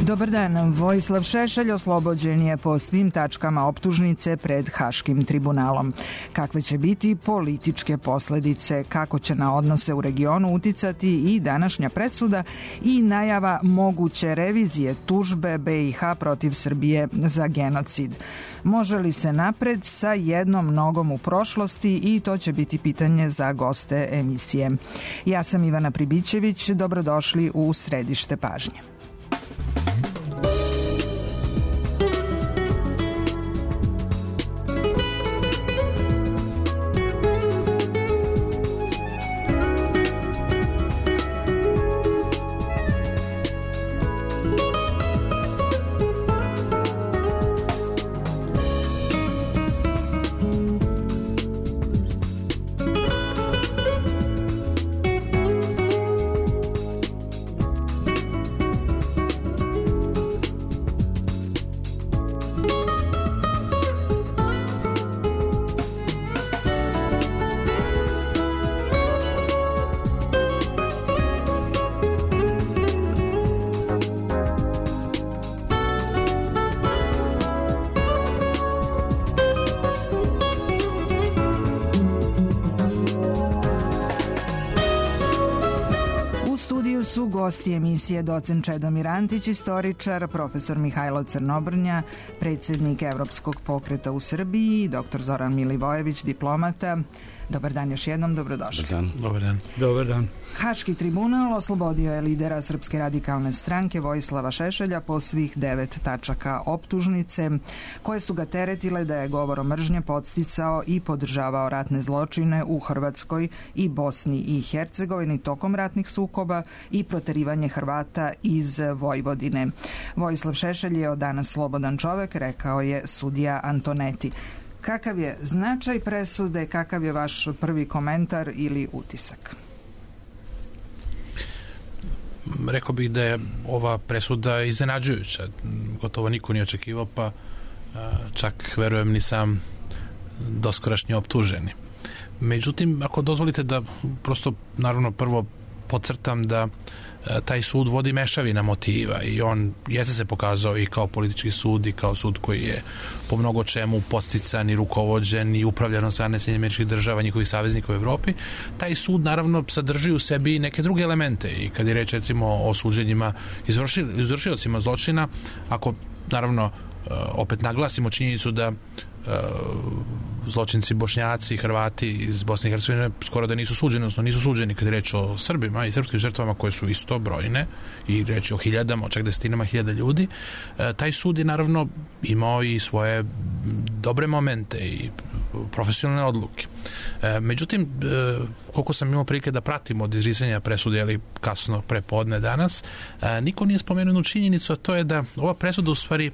Dobar dan. Vojislav Šešelj oslobođen je po svim tačkama optužnice pred Haškim tribunalom. Kakve će biti političke posledice, kako će na odnose u regionu uticati i današnja presuda i najava moguće revizije tužbe BiH protiv Srbije za genocid. Može li se napred sa jednom nogom u prošlosti, i to će biti pitanje za goste emisije. Ja sam Ivana Pribićević, dobrodošli u Središte pažnje. Su gosti emisije docent Čedomir Antić, istoričar, profesor Mihajlo Crnobrnja, predsjednik Evropskog pokreta u Srbiji, i dr. Zoran Milivojević, diplomata. Dobar dan još jednom, dobrodošli. Dobar dan. Dobar dan. Haški tribunal oslobodio je lidera Srpske radikalne stranke Vojislava Šešelja po svih 9 tačaka optužnice, koje su ga teretile da je govorom mržnje podsticao i podržavao ratne zločine u Hrvatskoj i Bosni i Hercegovini tokom ratnih sukoba i proterivanje Hrvata iz Vojvodine. Vojislav Šešelj je od danas slobodan čovek, rekao je sudija Antoneti. Kakav je značaj presude, kakav je vaš prvi komentar ili utisak? Rekao bih da je ova presuda iznenađujuća. Gotovo niko nije očekivao, pa čak verujem ni sam doskorašnji optuženi. Međutim, ako dozvolite da prosto, naravno, prvo podcrtam da taj sud vodi mešavina motiva i on jeste se pokazao i kao politički sud i kao sud koji je po mnogo čemu podstican i rukovođen i upravljan od strane Sjedinjenih Država, njihovih saveznika u Evropi. Taj sud naravno sadrži u sebi neke druge elemente i kad je reč recimo o suđenjima izvršiocima zločina, ako naravno opet naglasimo činjenicu da zločinci Bošnjaci i Hrvati iz Bosne i Hercegovine skoro da nisu suđeni, odnosno nisu suđeni kad je reč o Srbima i srpskim žrtvama koje su isto brojne i reč o hiljadama, čak desetinama hiljada ljudi. Taj sud je naravno imao i svoje dobre momente i profesionalne odluke. Međutim, koliko sam imao prilike da pratim od izricanja presude ili kasno prepodne danas, niko nije spomenuo činjenicu, a to je da ova presuda u stvari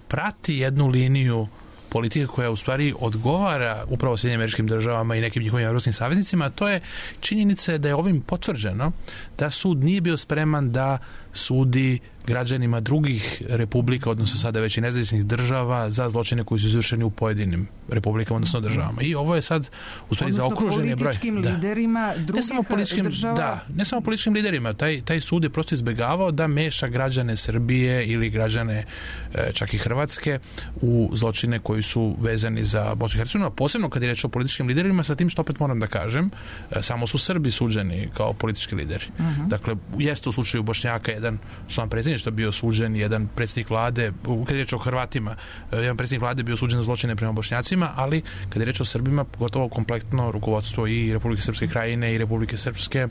prati jednu liniju politike koja u stvari odgovara upravo Sjedinjenim Američkim Državama i nekim njihovim evropskim saveznicima, a to je činjenica da je ovim potvrđeno da sud nije bio spreman da sudi građanima drugih republika, odnosno sada već i nezavisnih država, za zločine koji su izvršeni u pojedinim republikama, odnosno državama. I ovo je sad u stvari zaokružen je broj. Odnosno političkim liderima drugih država? Da, ne samo političkim liderima. Taj sud je prosto izbegavao da meša građane Srbije ili građane čak i Hrvatske u zločine koji su vezani za Bosnu i Hercegovinu, a posebno kad je reč o političkim liderima, sa tim što opet moram da kažem, samo su Srbi suđeni kao politički lideri. Dakle, jeste u slučaju Bošnjaka jedan član predsjedništva bio suđen, jedan predsjednik vlade, kad je reč o Hrvatima, jedan predsjednik vlade bio suđen za zločine prema Bošnjacima, ali kad je reč o Srbima, gotovo kompletno rukovodstvo i Republike Srpske krajine i Republike Srpske,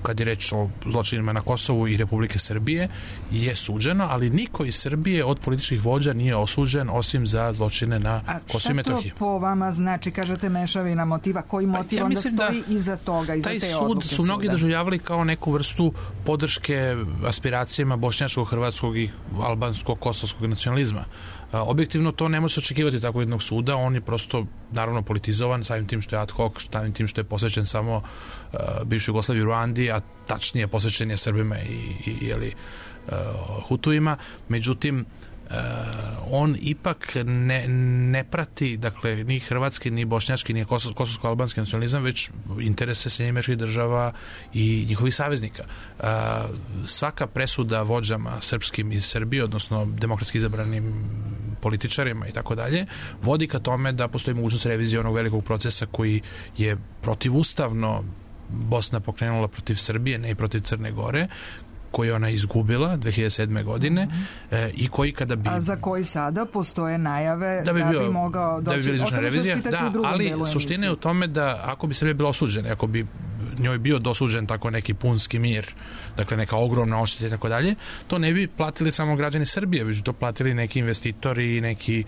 kad je reč o zločinima na Kosovu i Republike Srbije, je suđeno, ali niko iz Srbije od političkih vođa nije osuđen osim za zločine na Kosovu i Metohiji. A šta to po vama znači, kažete mešavina motiva, koji motiv onda stoji iza toga, iza te odluke suda? Taj sud su mnogi doživljavali kao neku vrstu podrške aspiracijama bošnjačkog, hrvatskog i albanskog, kosovskog nacionalizma. Objektivno to ne može se očekivati tako jednog suda, on je prosto naravno politizovan, samim tim što je ad hoc, samim tim što je posvećen samo bivšoj Jugoslaviji, Ruandi, a tačnije posvećen je Srbima i Hutuima. Međutim, on ipak ne prati, dakle, ni hrvatski, ni bošnjački, ni kosovsko-albanski nacionalizam, već interese Sjedinjenih Američkih Država i njihovih saveznika. Svaka presuda vođama srpskim iz Srbije, odnosno demokratski izabranim političarima i tako dalje, vodi ka tome da postoji mogućnost revizije onog velikog procesa koji je protivustavno Bosna pokrenula protiv Srbije, ne i protiv Crne Gore, koji ona izgubila 2007. godine i koji kada bi... A za koji sada postoje najave da bi mogao doći... Da bi bili izvršna revizija, da, ali suština je u tome da ako bi Srbija bila osuđena, ako bi njoj bio dosuđen tako neki punski mir, dakle neka ogromna odšteta i tako dalje, to ne bi platili samo građani Srbije, već to platili neki investitori, neki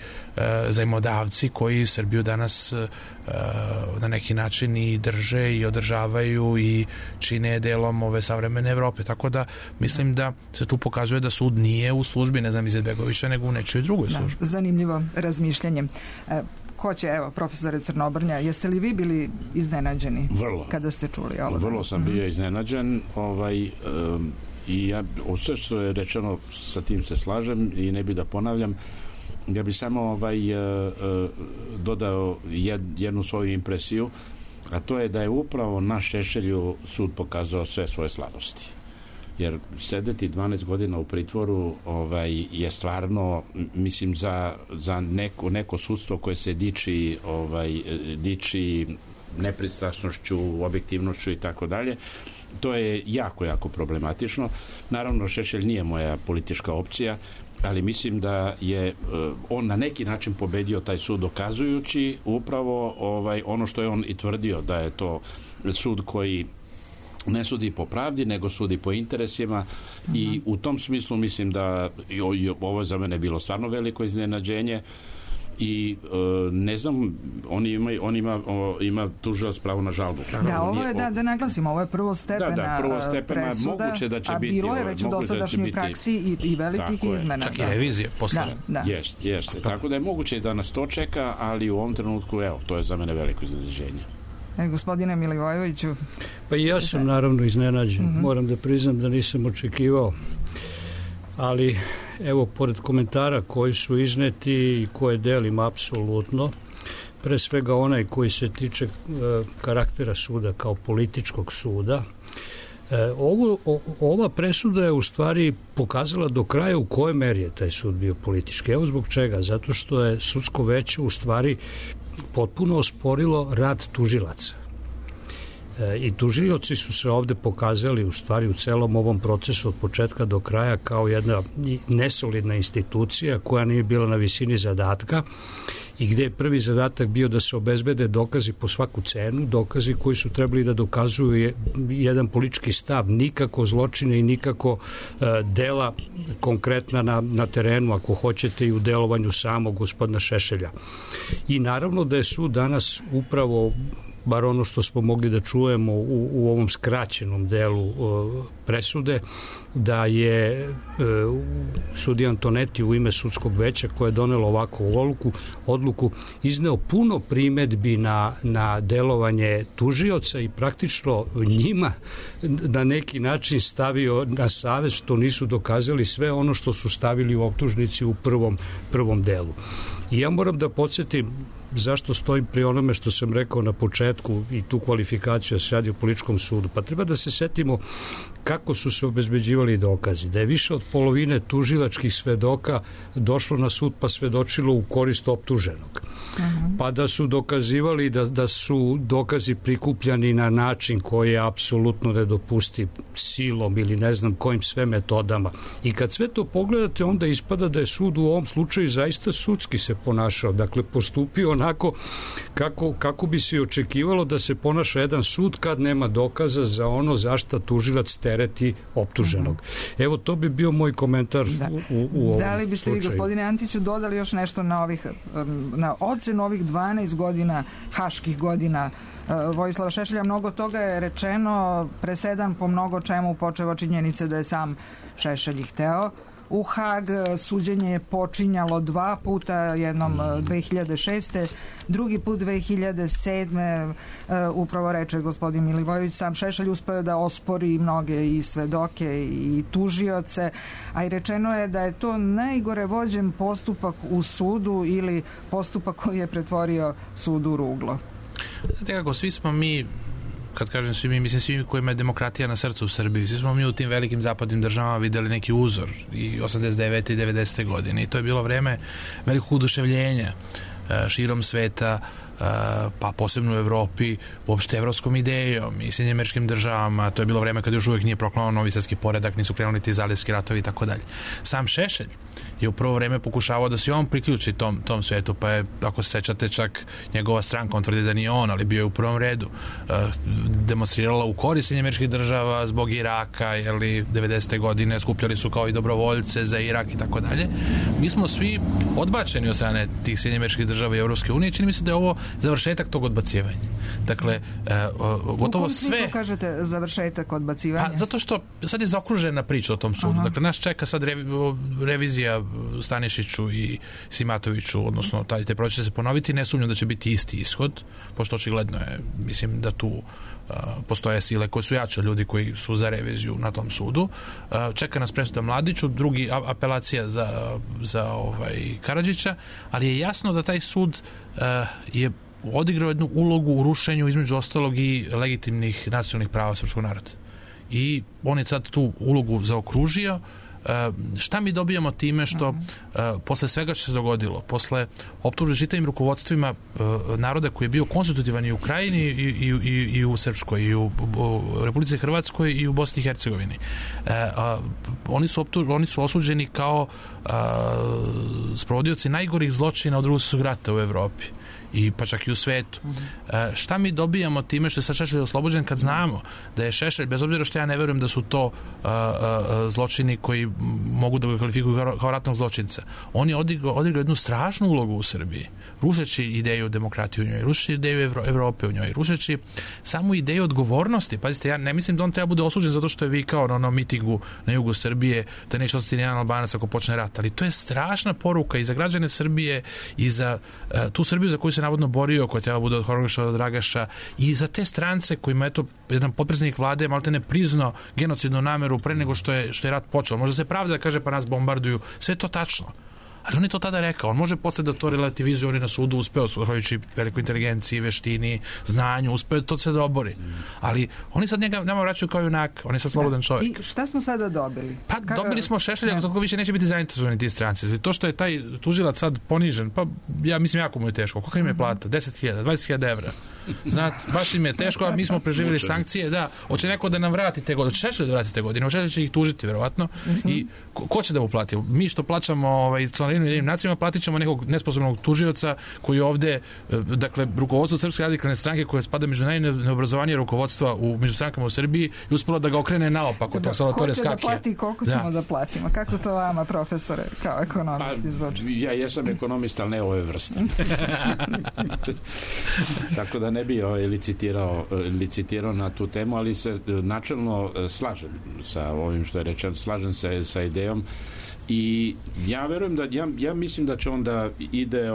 zajmodavci koji Srbiju danas na neki način i drže i održavaju i čine delom ove savremene Evrope. Tako da mislim da se tu pokazuje da sud nije u službi, ne znam, Izetbegovića, nego u nečoj drugoj službi. Zanimljivo razmišljanje. Ko će, evo, profesore Crnobrnja, jeste li vi bili iznenađeni kada ste čuli ovo? Vrlo sam bio iznenađen i ja, sve što je rečeno, sa tim se slažem i ne bi da ponavljam. Ja bi samo dodao jednu svoju impresiju, a to je da je upravo na Šešelju sud pokazao sve svoje slabosti. Jer sedeti 12 godina u pritvoru je stvarno, mislim, za neko sudstvo koje se diči nepristrasnošću, objektivnošću i tako dalje, to je jako, jako problematično. Naravno, Šešelj nije moja politička opcija, ali mislim da je on na neki način pobedio taj sud, dokazujući upravo ono što je on i tvrdio, da je to sud koji ne sudi po pravdi, nego sudi po interesima i u tom smislu mislim da ovo za mene bilo stvarno veliko iznenađenje i ne znam, on ima tužilac pravo na žalbu. Da, ovo je, da naglasimo, ovo je prvostepena presuda, moguće da će a biti, bilo je već u dosadašnjoj praksi i velikih izmena. Čak i revizije posle. Jeste. Tako da je moguće da nas to čeka, ali u ovom trenutku, evo, to je za mene veliko iznenađenje. Gospodine Milivojeviću. Pa i ja sam naravno iznenađen. Moram da priznam da nisam očekivao. Ali evo, pored komentara koji su izneti i koje delim apsolutno, pre svega onaj koji se tiče karaktera suda kao političkog suda, ova presuda je u stvari pokazala do kraja u kojoj meri je taj sud bio politički. Evo zbog čega. Zato što je sudsko veće u stvari potpuno osporilo rad tužilaca. I tužioci su se ovde pokazali u stvari u celom ovom procesu od početka do kraja kao jedna nesolidna institucija koja nije bila na visini zadatka i gde je prvi zadatak bio da se obezbede dokazi po svaku cenu, dokazi koji su trebali da dokazuju jedan politički stav, nikako zločine i nikako dela konkretna na terenu, ako hoćete, i u delovanju samog gospodina Šešelja. I naravno da je sud danas upravo, bar ono što smo mogli da čujemo u ovom skraćenom delu presude, da je sudija Antonetti u ime sudskog veća koje je donelo ovakvu odluku izneo puno primedbi na delovanje tužioca i praktično njima na neki način stavio na savest što nisu dokazali sve ono što su stavili u optužnici u prvom delu. I ja moram da podsjetim zašto stojim pri onome što sam rekao na početku i tu kvalifikaciju da se radi o političkom sudu. Pa treba da se setimo kako su se obezbeđivali dokazi. Da je više od polovine tužilačkih svedoka došlo na sud pa svedočilo u korist optuženog. Pa da su dokazivali da su dokazi prikupljani na način koji je apsolutno nedopustiv, silom ili ne znam kojim sve metodama. I kad sve to pogledate, onda ispada da je sud u ovom slučaju zaista sudski se ponašao. Dakle, postupio onako kako bi se očekivalo da se ponaša jedan sud kad nema dokaza za ono zašta tužilac tereti optuženog. Evo, to bi bio moj komentar u ovom Da li biste vi, gospodine Antiću, dodali još nešto na ocenu ovih 12 godina, haških godina Vojislava Šešelja? Mnogo toga je rečeno, presedan po mnogo čemu, počevo činjenice da je sam Šešelj hteo u Hag. Suđenje je počinjalo 2 puta, jednom 2006. Drugi put 2007. Upravo reče gospodin Milivojević, sam Šešelj uspeo da ospori mnoge i svedoke i tužioce, a i rečeno je da je to najgore vođen postupak u sudu ili postupak koji je pretvorio sud u ruglo. Kako svi smo mi, kad kažem svi mi, mislim svi mi kojima je demokratija na srcu u Srbiji, svi smo mi u tim velikim zapadnim državama videli neki uzor i 89. i 90. godine i to je bilo vreme velikog oduševljenja širom sveta, pa posebno u Evropi, uopšte evropskom idejom i Sjedinjenim Američkim Državama. To je bilo vreme kad još uvijek nije proklamovan novi svjetski poredak, nisu krenuli ti zalivski ratovi i tako dalje. Sam Šešelj je u prvo vreme pokušavao da se on priključi tom svetu, pa je, ako se sećate, čak njegova stranka, on tvrdi da nije on, ali bio je u prvom redu, demonstrirala u korist Sjedinjenih Američkih Država zbog Iraka, jeli 90. godine skupljali su kao i dobrovoljce za Irak i tako dalje. Mi smo svi odbačeni od strane tih Sjedinjenih Američkih Država i Evropske unije. Čini mi se da je ovo završetak tog odbacivanja. Dakle, gotovo sve... U kom smislu kažete završetak odbacivanja? Pa, zato što sad je zaokružena priča o tom sudu. Dakle, nas čeka sad revizija Stanišiću i Simatoviću, odnosno te proces će se ponoviti. Ne sumnjam da će biti isti ishod, pošto očigledno je, mislim da tu postoje sile koje su jače ljudi koji su za reviziju na tom sudu. Čeka nas presuda Mladiću, drugi apelacija za Karadžića, ali je jasno da taj sud je odigrao jednu ulogu u rušenju između ostalog i legitimnih nacionalnih prava srpskog naroda. I on je sad tu ulogu zaokružio. Šta mi dobijamo time što posle svega što se dogodilo, posle optužbe čitavim rukovodstvima naroda koji je bio konstitutivan i u Krajini i u Srpskoj i u Republici Hrvatskoj i u Bosni i Hercegovini, oni su osuđeni kao sprovodioci najgorih zločina od Drugog svjetskog rata u Evropi i pa čak i u svetu. Šta mi dobijamo time što je sad Šešelj oslobođen kad znamo da je Šešelj, bez obzira što ja ne verujem da su to zločini koji mogu da ga kvalifikuju kao ratnog zločinca, on je odigrao jednu strašnu ulogu u Srbiji, rušeći ideju demokratije u njoj, rušeći ideju Evrope u njoj, rušeći samu ideju odgovornosti. Pazite, ja ne mislim da on treba bude osuđen zato što je vikao na onom mitingu na jugu Srbije da neće ostati nijedan Albanac ako počne rat, ali to je strašna poruka i za građane Srbije i za tu Srbiju za koju se navodno borio, koja treba bude od Horgoša, od Dragaša, i za te strance kojima eto jedan potpredsjednik vlade maltene priznao genocidnu nameru pre nego što je rat počeo. Može se pravda da kaže pa nas bombarduju, sve je to tačno. Ali on je to tada rekao. On može posle da to relativizuje, on je na sudu uspeo, zahvaljujući velikoj inteligenciji, veštini, znanju, uspeo to se dobori. Ali oni sad nama vraćaju kao junak, on je sad slobodan čovjek. I šta smo sada dobili? Pa dobili smo Šešelja, kako više neće biti zainteresovani ti stranci. To što je taj tužilac sad ponižen, pa ja mislim jako mu je teško. Koliko im je plata? 10.000, 20.000 evra. Znate, baš im je teško, a mi smo preživjeli sankcije, da, hoće neko da nam vrati te godine, hoće Šešelj da vrati te godine, Šešelj će ih tužiti, verovatno. I ko će da mu plati? Mi što plaćamo članarinu Ujedinjenim nacijama, platit ćemo nekog nesposobnog tužioca koji ovde, dakle, rukovodstvo Srpske radikalne stranke koje spada među najneobrazovanije rukovodstva među strankama u Srbiji i uspelo da ga okrene naopako. Ko će da plati i koliko ćemo da platimo? Kako to vama, profesore, kao ekonomisti zvuči? Ja jesam ekonomista, ali ne ove vrste. Tako da ne bi licitirao na tu temu, ali se načelno slažem sa ovim što je rečeno, slažem se sa idejom i ja verujem da ja mislim da će onda ide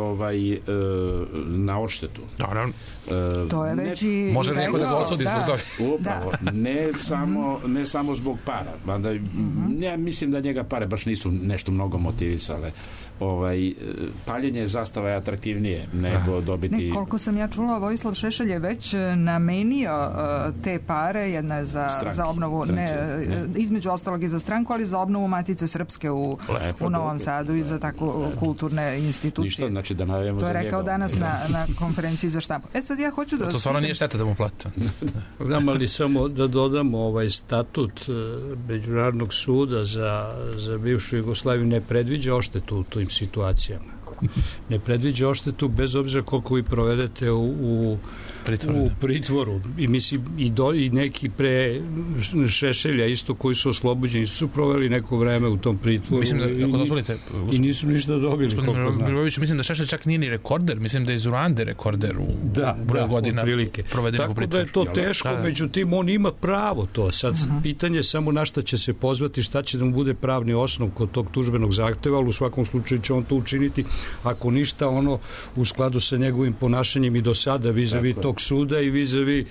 na odštetu. Naravno. To je već i može neko da ga osudi zbog toga. Upravo. Ne samo zbog para. Mada, ja mislim da njega pare baš nisu nešto mnogo motivisale. Paljenje zastava je atraktivnije nego dobiti... Koliko sam ja čula, Vojislav Šešelj je već namenio te pare, jedna je za obnovu, između ostalog i za stranku, ali za obnovu Matice Srpske u Novom Sadu i za tako kulturne institucije. Ništa, znači da najavimo za njega. To je rekao danas na konferenciji za štampu. Sad ja hoću da... To stvarno nije šteta da mu plati. Znam, ali samo da dodamo statut Međunarodnog suda za bivšu Jugoslaviju ne predviđa odštetu u tim situacijama. Ne predviđa odštetu bez obzira koliko vi provedete u u pritvoru. I mislim, i neki pre Šešelja isto koji su oslobođeni su proveli neko vreme u tom pritvoru. Mislim da, ako dozvolite, nisu ništa dobili. Miroviću, mislim da Šešelj čak nije ni rekorder, mislim da je iz Urande rekorder u broju godina provedenog u pritvoru. Tako da je to teško, međutim on ima pravo to. Sad pitanje samo na šta će se pozvati, šta će da mu bude pravni osnov kod tog tužbenog zahteva, ali u svakom slučaju će on to učiniti, ako ništa, ono u skladu sa njegovim ponašanjem i do sada vizavi tog suda i vizavi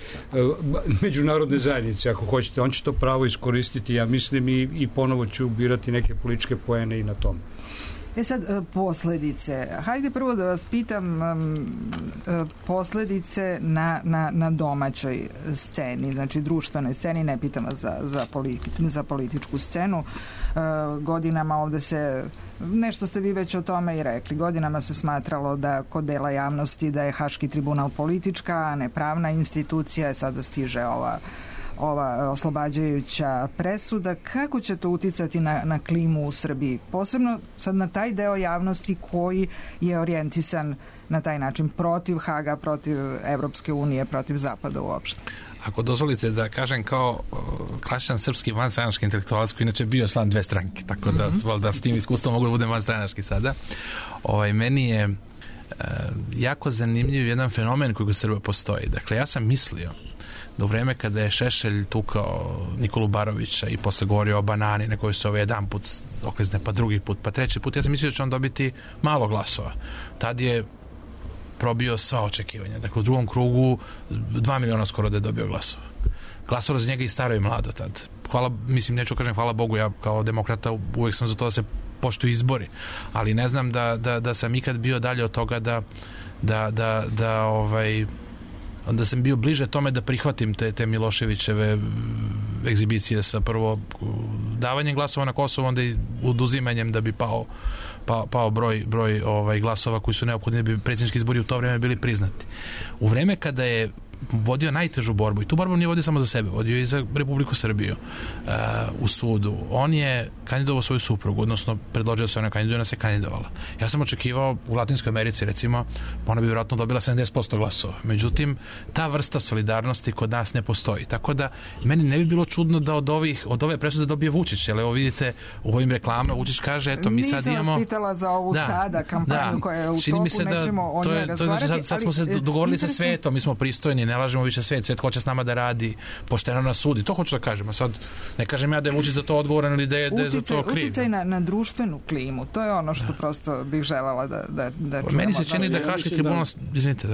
međunarodne zajednice, ako hoćete. On će to pravo iskoristiti, ja mislim, i ponovo će ubirati neke političke poene i na tom. Sad, posledice. Hajde prvo da vas pitam posledice na domaćoj sceni, znači društvenoj sceni, ne pitam vas za političku scenu. Godinama ovde se, nešto ste vi već o tome i rekli, godinama se smatralo da kod dela javnosti da je Haški tribunal politička, a ne pravna institucija, sada stiže ova oslobađajuća presuda. Kako će to uticati na klimu u Srbiji? Posebno sad na taj deo javnosti koji je orijentisan na taj način protiv Haga, protiv Evropske unije, protiv Zapada uopšte. Ako dozvolite da kažem kao klasičan srpski vanstranački intelektualac koji inače bio član dve stranke, tako da s tim iskustvom mogu da budem vanstranački sada. Meni je jako zanimljiv jedan fenomen koji kod Srba postoji. Dakle, ja sam mislio da u vreme kada je Šešelj tukao Nikolu Barovića i posle govorio o banani na kojoj se jedan put oklizne, pa drugi put, pa treći put, ja sam mislio da će on dobiti malo glasova. Tad je probio sva očekivanja. Dakle, u drugom krugu 2 miliona skoro da je dobio glasova. Glasova za njega i staro i mlado tad. Neću kažem hvala Bogu, ja kao demokrata uvek sam za to da se poštuju izbori, ali ne znam da sam ikad bio dalje od toga onda sam bio bliže tome da prihvatim te Miloševićeve egzibicije sa prvo davanjem glasova na Kosovo, onda i oduzimanjem da bi pao broj glasova koji su neophodni da bi predsjednički izbori u to vreme bili priznati. U vreme kada je vodio najtežu borbu, i tu borbu nije vodio samo za sebe, vodio i za Republiku Srbiju u sudu. On je kandidovao svoju suprugu, odnosno predložio se ona kandiduje, ona se kandidovala. Ja sam očekivao u Latinskoj Americi, recimo, ona bi vjerojatno dobila 70% glasova. Međutim, ta vrsta solidarnosti kod nas ne postoji. Tako da, meni ne bi bilo čudno da od ove presude dobije Vučić, jer evo vidite u ovim reklamama Vučić kaže, eto, mi sad imamo... Nisam vas pitala za ovu sada kampanju koja je u toku, nećemo o njoj razgovarati. Sad smo se dogovorili sa svetom, mi smo pristojni, ne lažemo više svet hoće s nama da radi, pošteno nas sudi, to hoću da kažem, a sad ne kažem ja da je Vučić za to odgovoran ili da je za to kriv. Uticaj na društvenu klimu, to je ono što prosto bih željela da čujemo. Meni se čini da Haški tribunal, izvinite,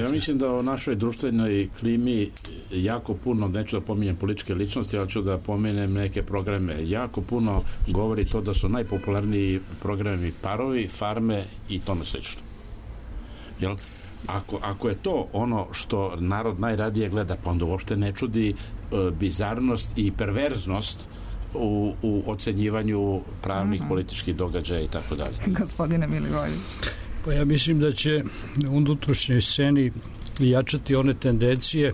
ja mislim da o našoj društvenoj klimi jako puno, neću da pominjem političke ličnosti, ali ću da pomenem neke programe, jako puno govori to da su najpopularniji programi Parovi, Farme i tome slično. Jel? Ako je to ono što narod najradije gleda, pa onda uopšte ne čudi bizarnost i perverznost u ocenjivanju pravnih političkih događaja i tako dalje. Gospodine Milivojević. Pa ja mislim da će u unutrašnjoj sceni jačati one tendencije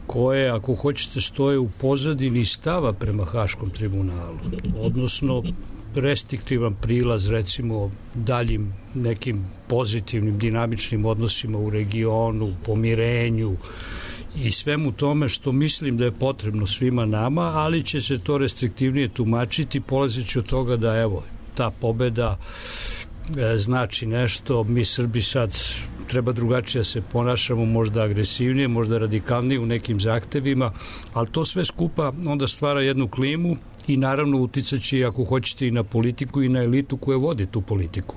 koje, ako hoćete, stoje u pozadini stava prema Haškom tribunalu, odnosno restriktivan prilaz, recimo, daljim nekim pozitivnim, dinamičnim odnosima u regionu, pomirenju i svemu tome što mislim da je potrebno svima nama, ali će se to restriktivnije tumačiti, polazeći od toga da, evo, ta pobeda znači nešto, mi Srbi sad treba drugačije se ponašamo, možda agresivnije, možda radikalnije u nekim zahtevima, ali to sve skupa onda stvara jednu klimu i naravno uticaće, ako hoćete, i na politiku i na elitu koja vodi tu politiku.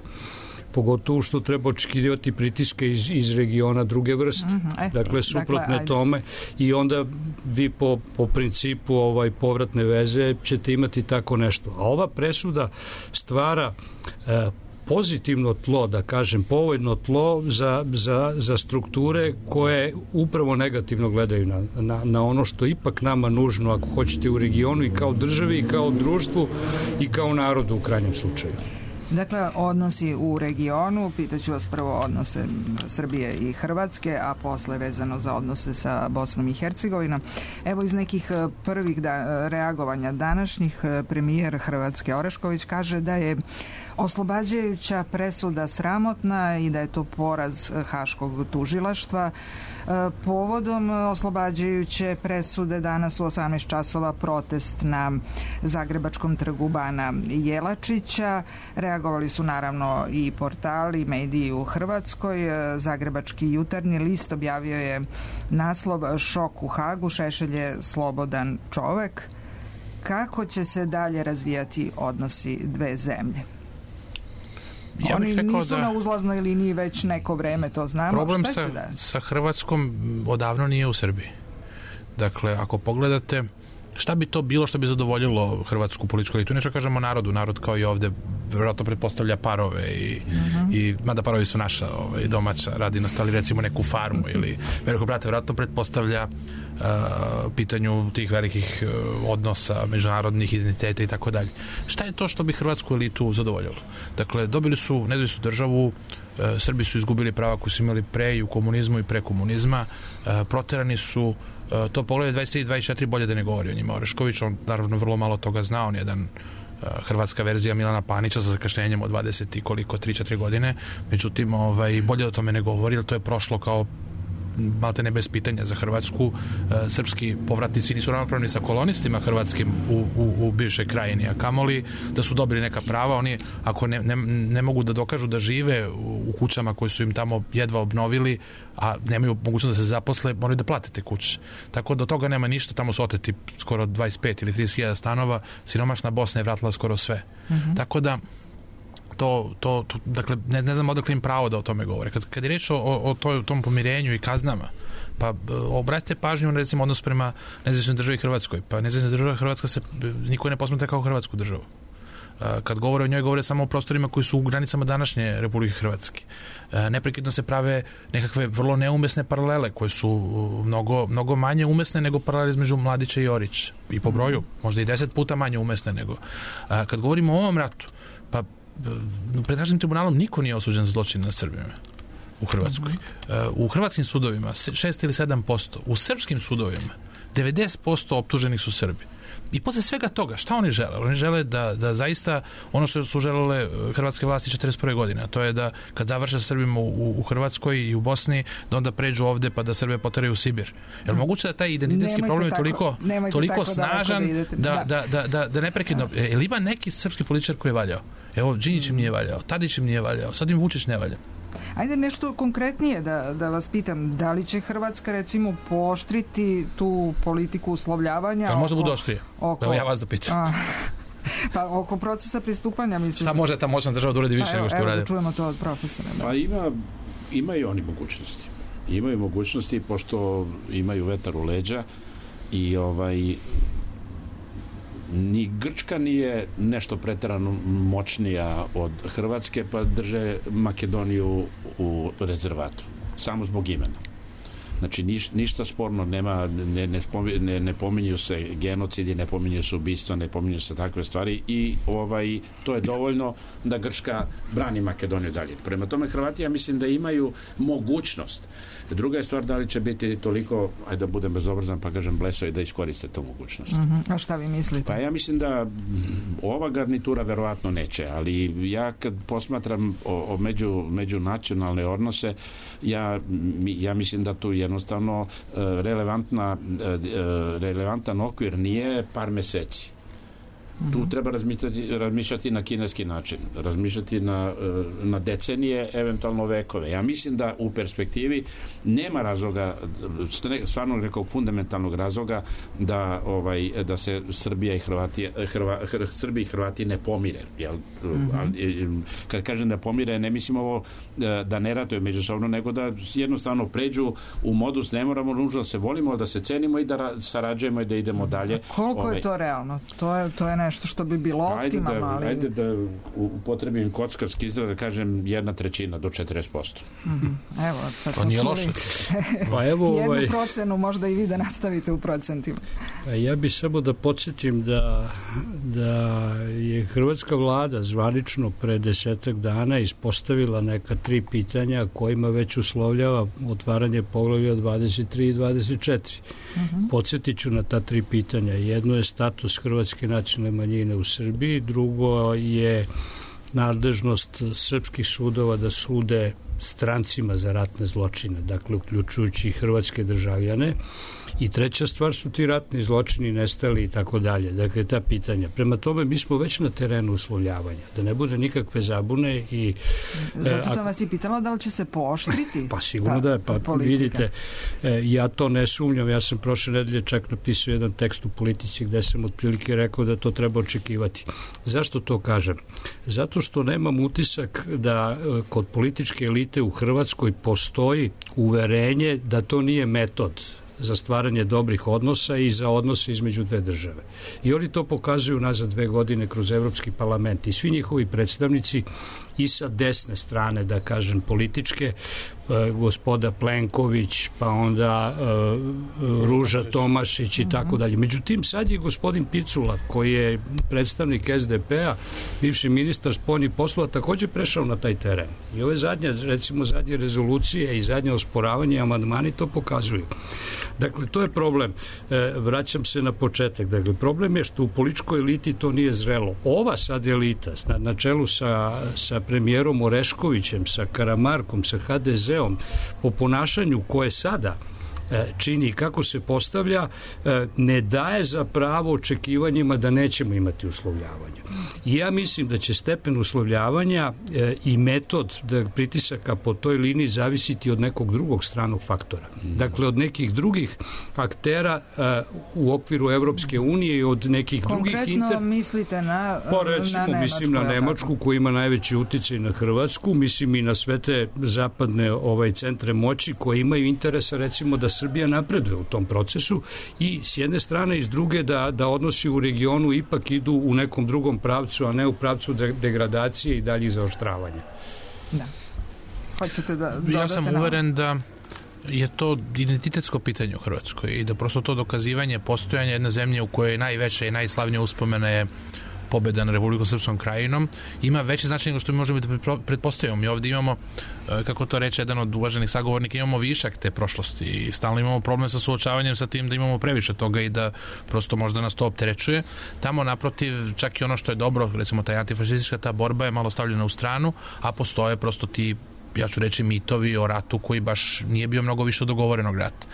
Pogotovo što treba očekivati pritiske iz regiona druge vrste. Dakle, suprotne tome, i onda vi po principu povratne veze ćete imati tako nešto. A ova presuda stvara pozitivno tlo, da kažem, povoljno tlo za strukture koje upravo negativno gledaju na ono što ipak nama nužno, ako hoćete, u regionu i kao državi i kao društvu i kao narodu u krajnjem slučaju. Dakle, odnosi u regionu, pitaću vas prvo odnose Srbije i Hrvatske, a posle vezano za odnose sa Bosnom i Hercegovinom. Evo, iz nekih prvih reagovanja današnjih, premijer Hrvatske Orešković kaže da je oslobađajuća presuda sramotna i da je to poraz Haškog tužilaštva. Povodom oslobađajuće presude danas u 18 časova protest na Zagrebačkom trgu Bana Jelačića. Reagovali su naravno i portali, mediji u Hrvatskoj. Zagrebački jutarnji list objavio je naslov "Šok u Hagu, Šešelj je slobodan čovek". Kako će se dalje razvijati odnosi dve zemlje? Ja Oni nisu da na uzlaznoj liniji već neko vreme, to znamo. Problem Šta će da? sa Hrvatskom odavno nije u Srbiji. Dakle, ako pogledate šta bi to bilo što bi zadovoljilo hrvatsku političku elitu? Nešto kažemo narodu, narod kao i ovde vjerojatno pretpostavlja parove i mada parovi su naša domaća radinost, ali recimo neku farmu ili velikog brata vjerojatno pretpostavlja pitanju tih velikih odnosa, međunarodnih identiteta i tako dalje. Šta je to što bi hrvatsku elitu zadovoljilo? Dakle, dobili su nezavisnu državu, Srbi su izgubili prava koji su imali pre i u komunizmu i pre komunizma, proterani su, to poglede 23 i 24 bolje da ne govori o njima. Orešković, on naravno vrlo malo toga zna, on je jedan hrvatska verzija Milana Panića sa zakašnjenjem od 20 i koliko, 3-4 godine, međutim bolje o tome ne govori, jer to je prošlo kao malte ne bez pitanja za Hrvatsku. Srpski povratnici nisu ravnopravni sa kolonistima hrvatskim u bivšoj krajini, a kamoli da su dobili neka prava. Oni ako ne mogu da dokažu da žive u kućama koje su im tamo jedva obnovili, a nemaju mogućnost da se zaposle, moraju da plate te kuće. Tako da od toga nema ništa, tamo su oteti skoro 25 ili 30.000 stanova, siromašna Bosna je vratila skoro sve. Tako da dakle, ne znam odakle im pravo da o tome govore. Kad je reč o tom pomirenju i kaznama, pa obratite pažnju na recimo odnos prema nezavisnoj državi Hrvatskoj. Pa nezavisna država Hrvatska se niko ne posmatra kao Hrvatsku državu. Kad govore o njoj, govore samo o prostorima koji su u granicama današnje Republike Hrvatske. Neprekidno se prave nekakve vrlo neumesne paralele koje su mnogo manje umesne nego paralele između Mladića i Orića. I po broju, možda i 10 puta manje umesne nego. Kad govorimo o ovom ratu, pa pred Haškim tribunalom niko nije osuđen za zločin nad Srbima u Hrvatskoj. U hrvatskim sudovima 6 ili 7%. U srpskim sudovima 90% optuženih su Srbi. I posle svega toga, šta oni žele? Oni žele da zaista ono što su želele hrvatske vlasti 41. godine, a to je da kad završe Srbima u Hrvatskoj i u Bosni, da onda pređu ovde pa da Srbe poteraju u Sibir. Je li moguće da taj identitetski problem je toliko snažan da neprekidno... Ili ima neki srpski političar koji je valjao? Evo, Đinđić im nije valjao, Tadić im nije valjao, sad im Vučić ne valja. Ajde nešto konkretnije da vas pitam, da li će Hrvatska recimo pooštriti tu politiku uslovljavanja? Da možda budu oštrije? Evo ja vas da pitam. Pa oko procesa pristupanja, mislim... Šta može ta moćna država da uradi više nego što uradi? Evo da čujemo to od profesora. Pa imaju oni mogućnosti. Imaju mogućnosti, pošto imaju vetar u leđa i ni Grčka nije nešto preterano moćnija od Hrvatske, pa drže Makedoniju u rezervatu. Samo zbog imena. Znači, ništa sporno nema, ne pominju se genocidi, ne pominju se ubistva, ne pominju se takve stvari i to je dovoljno da Grčka brani Makedoniju dalje. Prema tome, Hrvati, ja mislim da imaju mogućnost. Druga je stvar da li će biti toliko, ajde da budem bezobrazan pa kažem blesavi, da iskoriste tu mogućnost. A šta vi mislite? Pa ja mislim da ova garnitura verovatno neće, ali ja kad posmatram o međunacionalne odnose, ja mislim da tu jednostavno relevantan okvir nije par meseci. Tu treba razmišljati na kineski način, razmišljati na decenije, eventualno vekove. Ja mislim da u perspektivi nema razloga, stvarno nekog fundamentalnog razloga da se Srbija i Srbi i Hrvati ne pomire. Kad kažem da pomire, ne mislim ovo da ne ratuju međusobno, nego da jednostavno pređu u modus, ne moramo nužno da se volimo, da se cenimo i da sarađujemo i da idemo dalje. Koliko je to realno? To je nešto što bi bilo optimalno, ali... Ajde da upotrebim kockarski izraz, da kažem 1/3 do 40%. Evo, sad to nije loše. Pa evo, jednu procenu možda i vi da nastavite u procentima. Ja bih samo da podsjetim da je hrvatska vlada zvanično pre 10 dana ispostavila neka 3 pitanja kojima već uslovljava otvaranje poglavlja 23 i 24. Podsjetit ću na ta 3 pitanja. Jedno je status hrvatske nacionalne manjine u Srbiji, drugo je nadležnost srpskih sudova da sude strancima za ratne zločine, dakle uključujući i hrvatske državljane. I treća stvar su ti ratni zločini, nestali i tako dalje. Dakle, ta pitanja. Prema tome, mi smo već na terenu uslovljavanja. Da ne bude nikakve zabune i... Zato sam vas i pitala da li će se pooštriti pa sigurno da je. Pa vidite, ja to ne sumnjam. Ja sam prošle nedelje čak napisao jedan tekst u Politici gde sam otprilike rekao da to treba očekivati. Zašto to kažem? Zato što nemam utisak da kod političke elite u Hrvatskoj postoji uverenje da to nije metod za stvaranje dobrih odnosa i za odnose između dve države. I oni to pokazuju nazad 2 godine kroz Evropski parlament i svi njihovi predstavnici i sa desne strane, da kažem, političke, gospoda Plenković, pa onda Ruža Tomašić i tako dalje. Međutim, sad je gospodin Picula, koji je predstavnik SDP-a, bivši ministar spoljnih poslova, također prešao na taj teren. I ove zadnje rezolucije i zadnje osporavanje i amandmani to pokazuju. Dakle, to je problem. Vraćam se na početak. Dakle, problem je što u političkoj eliti to nije zrelo. Ova sad elita, na čelu sa premijerom Oreškovićem, sa Karamarkom, sa HDZ-om, po ponašanju koje sada čini kako se postavlja, ne daje za pravo očekivanjima da nećemo imati uslovljavanja. I ja mislim da će stepen uslovljavanja i metod pritisaka po toj liniji zavisiti od nekog drugog stranog faktora. Dakle, od nekih drugih aktera u okviru Evropske unije i od nekih drugih... Konkretno mislite na Nemačku? Mislim na Nemačku koja ima najveći uticaj na Hrvatsku, mislim i na sve te zapadne centre moći koje imaju interesa, recimo, da Srbija napreduje u tom procesu i s jedne strane i s druge da odnosi u regionu ipak idu u nekom drugom pravcu, a ne u pravcu degradacije i daljih zaoštravanja. Da. Hoćete da dodate? Ja sam uveren da je to identitetsko pitanje u Hrvatskoj i da prosto to dokazivanje postojanja jedne zemlje u kojoj najveće i najslavnije uspomena je pobjeda na Republikom Srpskom krajinom, ima veće značenje nego što mi možemo da pretpostavimo. Mi ovdje imamo, kako to reče jedan od uvaženih sagovornika, imamo višak te prošlosti i stalno imamo problem sa suočavanjem sa tim da imamo previše toga i da prosto možda nas to opterećuje. Tamo naprotiv, čak i ono što je dobro, recimo ta antifašistička ta borba je malo stavljena u stranu, a postoje prosto ti, ja ću reći, mitovi o ratu koji baš nije bio mnogo više od dogovorenog rata.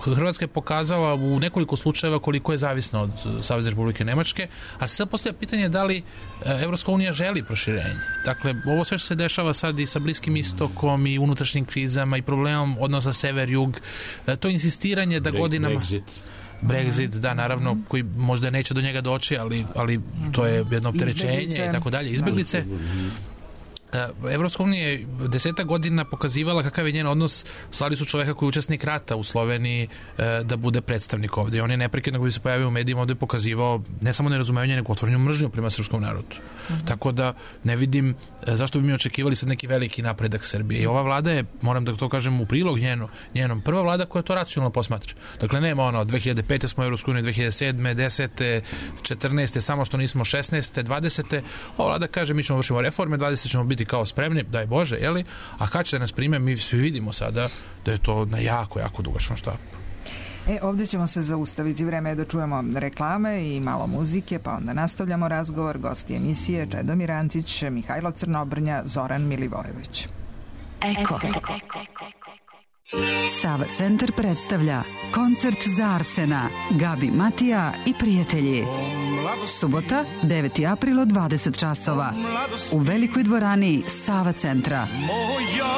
Hrvatska je pokazala u nekoliko slučajeva koliko je zavisna od Savezne Republike Nemačke, ali se sad postavlja pitanje da li Evropska unija želi proširenje. Dakle, ovo sve što se dešava sad i sa Bliskim istokom i unutrašnjim krizama i problemom odnosa sever-jug, to insistiranje da godinama... Brexit, da, naravno, koji možda neće do njega doći, ali to je jedno opterećenje i tako dalje. Izbjeglice. Evropska unija je 10 godina pokazivala kakav je njen odnos. Slali su čoveka koji je učesnik rata u Sloveniji da bude predstavnik ovde. I on je neprekidno koji bi se pojavio u medijima ovde pokazivao ne samo nerazumevanje, nego otvorenu mržnju prema srpskom narodu. Tako da ne vidim zašto bi mi očekivali sad neki veliki napredak Srbije. I ova vlada je, moram da to kažem u prilog njenom, prva vlada koja to racionalno posmatra. Dakle, nema ono, 2005. smo u Evropskoj uniji, 2007. 10. 14. samo što nismo 16. 20. Ova vlada kaže mi ćemo vršimo reforme, 20. ćemo biti kao spremni, daj Bože, jeli? A kad će da nas prime, mi svi vidimo sada da je to na jako dugačnom štapu. Ovdje ćemo se zaustaviti, vreme je da čujemo reklame i malo muzike, pa onda nastavljamo razgovor. Gosti emisije Čedomir Antić, Mihajlo Crnobrnja, Zoran Milivojević. Eko. Sava centar predstavlja koncert za Arsena, Gabi Matija i prijatelji. Subota, 9. april od 20 časova. U velikoj dvorani Sava centra.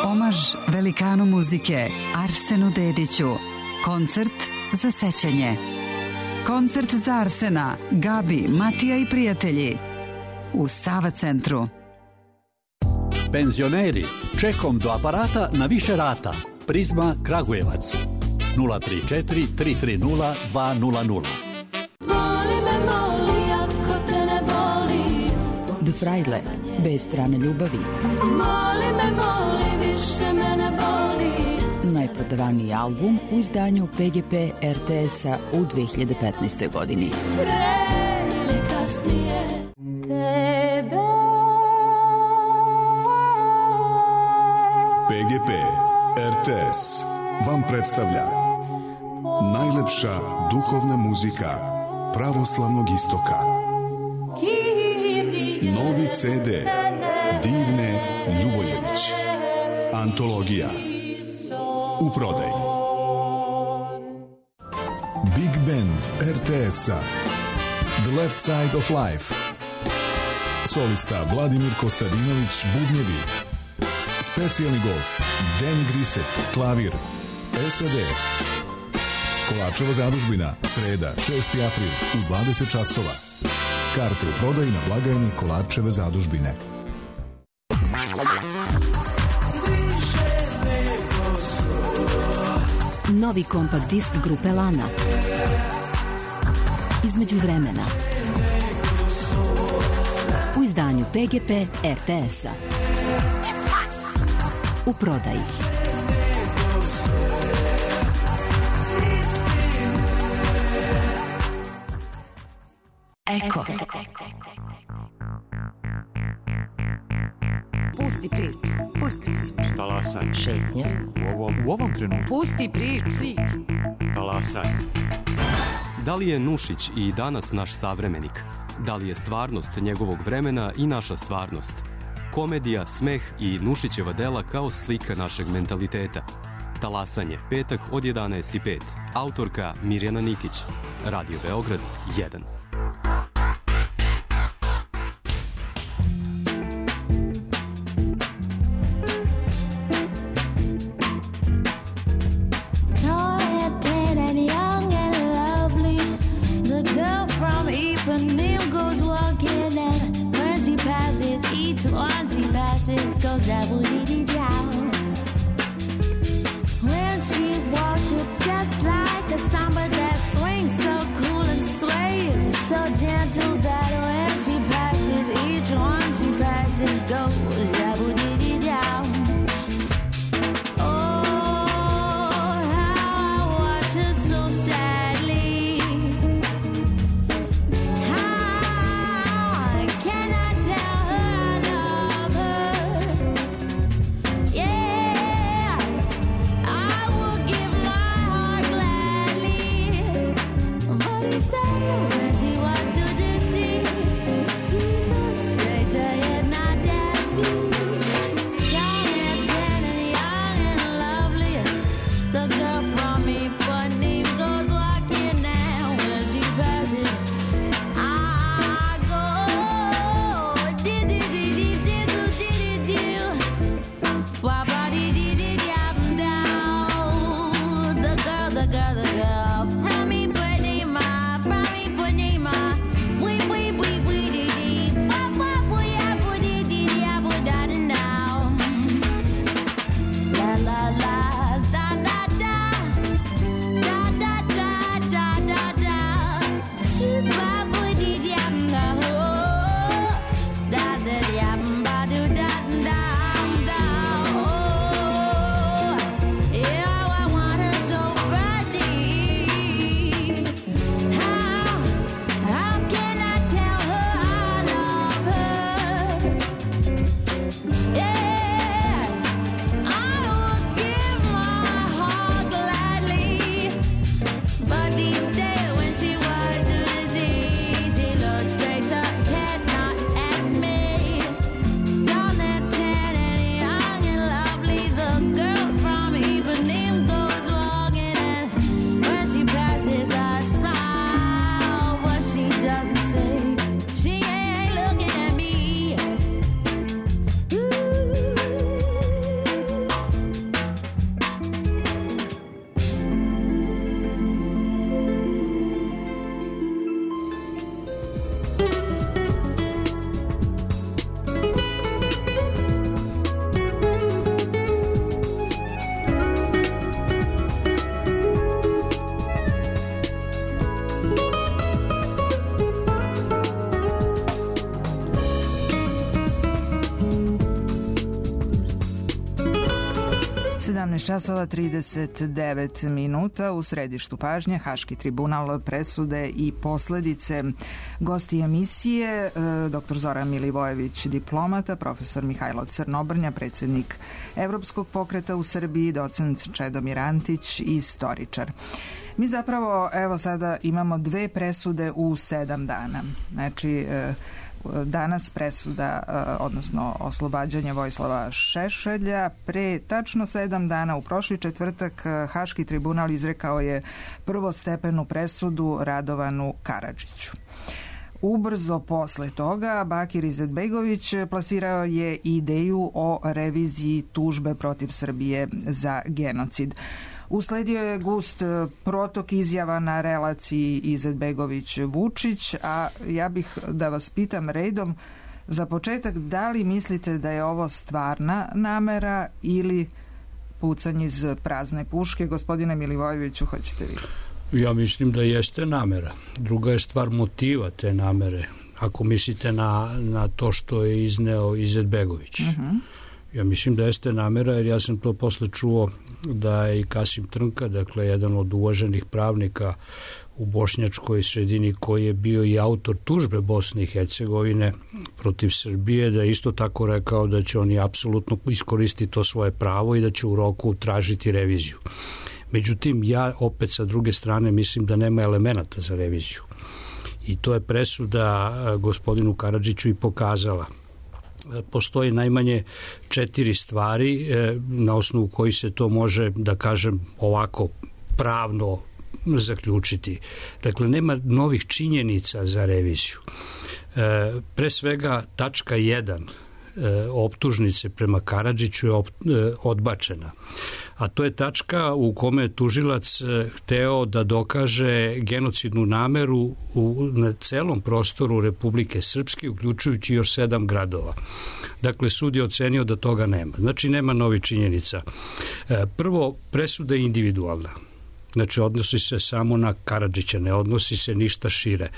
Omaž velikanu muzike Arsenu Dediću. Koncert za sećanje. Koncert za Arsena, Gabi, Matija i prijatelji. U Sava centru. Penzioneri, čekom do aparata na više rata. Prizma Kragujevac 034 330 200. The Fraile, bez strane ljubavi. Najprodavaniji album u izdanju PGP RTS-a u 2015. godini. PGP RTS vam predstavlja najlepša duhovna muzika pravoslavnog istoka. Novi CD Divne Ljuboljević. Antologija. U prodaji. Big Band RTS-a The Left Side of Life. Solista Vladimir Kostadinović, bubnjevi. Specijalni gost Danny Griset, klavir. SAD. Kolarčeva zadužbina, sreda, 6. april u 20 časova. Karte u prodaji na blagajni Kolarčeve zadužbine. Novi kompakt disk grupe Lana. Između vremena. U izdanju PGP RTS-a. U prodaji. Eko. Pusti priču. Pusti priču. Talasaj. Šetnja. U ovom trenutku. Pusti priču. Talasaj. Da li je Nušić i danas naš savremenik? Da li je stvarnost njegovog vremena i naša stvarnost? Komedija, smeh i Nušićeva dela kao slika našeg mentaliteta. Talasanje, petak od 11:05. Autorka Mirjana Nikić. Radio Beograd 1. časova 39 minuta u središtu pažnje Haški tribunal, presude i posledice. Gosti emisije dr. Zoran Milivojević, diplomata, profesor Mihajlo Crnobrnja, predsjednik Evropskog pokreta u Srbiji, docent Čedomir Antić, istoričar. Mi zapravo, evo sada imamo 2 presude u 7 dana. Znači, danas presuda, odnosno oslobađanje Vojislava Šešelja. Pre tačno 7 dana, u prošli četvrtak, Haški tribunal izrekao je prvostepenu presudu Radovanu Karadžiću. Ubrzo posle toga Bakir Izetbegović plasirao je ideju o reviziji tužbe protiv Srbije za genocid. Usledio je gust protok izjava na relaciji Izetbegović-Vučić, a ja bih da vas pitam redom, za početak, da li mislite da je ovo stvarna namera ili pucanje iz prazne puške? Gospodine Milivojeviću, hoćete vi? Ja mislim da jeste namera. Druga je stvar motiva te namere, ako mislite na to što je izneo Izetbegović. Ja mislim da jeste namera, jer ja sam to posle čuo da je i Kasim Trnka, dakle jedan od uvaženih pravnika u bošnjačkoj sredini koji je bio i autor tužbe Bosne i Hercegovine protiv Srbije, da je isto tako rekao da će oni apsolutno iskoristiti to svoje pravo i da će u roku tražiti reviziju. Međutim, ja opet sa druge strane mislim da nema elemenata za reviziju. I to je presuda gospodinu Karadžiću i pokazala. Postoji najmanje 4 stvari na osnovu koji se to može, da kažem, ovako pravno zaključiti. Dakle, nema novih činjenica za reviziju. Pre svega, tačka 1 optužnice prema Karadžiću je odbačena. A to je tačka u kome je tužilac hteo da dokaže genocidnu nameru na celom prostoru Republike Srpske, uključujući još 7 gradova. Dakle, sud je ocenio da toga nema. Znači, nema novih činjenica. Prvo, presuda je individualna. Znači, odnosi se samo na Karadžića, ne odnosi se ništa šire.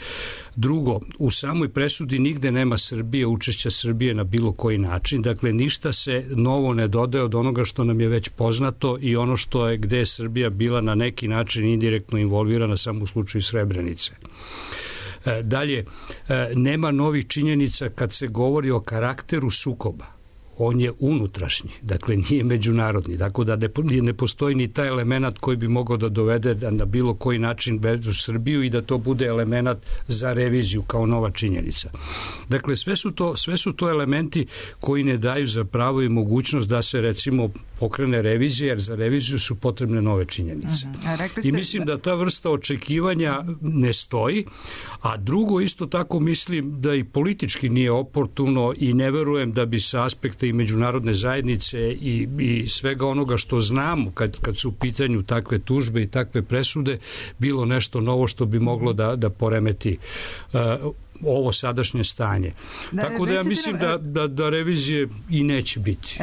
Drugo, u samoj presudi nigde nema Srbije, učešća Srbije na bilo koji način, dakle ništa se novo ne dodaje od onoga što nam je već poznato i ono što je gde je Srbija bila na neki način indirektno involvirana samo u slučaju Srebrenice. Dalje, nema novih činjenica kad se govori o karakteru sukoba. On je unutrašnji, dakle nije međunarodni, tako da ne postoji ni taj element koji bi mogao da dovede na bilo koji način vezu Srbiju i da to bude element za reviziju kao nova činjenica. Dakle, sve su to elementi koji ne daju za pravo i mogućnost da se recimo pokrene revizija, jer za reviziju su potrebne nove činjenice. I mislim da ta vrsta očekivanja ne stoji, a drugo isto tako mislim da i politički nije oportuno i ne verujem da bi sa aspekta i međunarodne zajednice i svega onoga što znamo kad su u pitanju takve tužbe i takve presude bilo nešto novo što bi moglo da poremeti ovo sadašnje stanje. Tako da ja mislim da revizije i neće biti.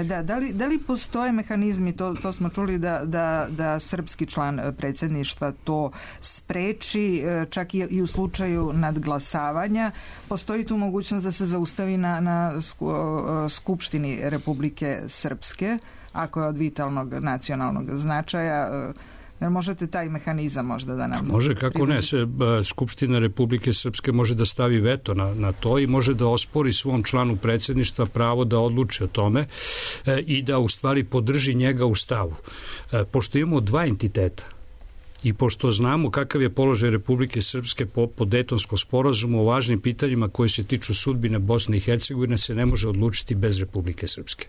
Da li postoje mehanizmi, to smo čuli da srpski član predsjedništva to spreči, čak i u slučaju nadglasavanja, postoji tu mogućnost da se zaustavi na Skupštini Republike Srpske, ako je od vitalnog nacionalnog značaja. Možete taj mehanizam možda da nam... Može, kako ne. Skupština Republike Srpske može da stavi veto na to i može da ospori svom članu predsjedništva pravo da odluči o tome i da u stvari podrži njega u stavu. Pošto imamo 2 entiteta i pošto znamo kakav je položaj Republike Srpske po Dejtonskom sporazumu o važnim pitanjima koji se tiču sudbine Bosne i Hercegovine se ne može odlučiti bez Republike Srpske.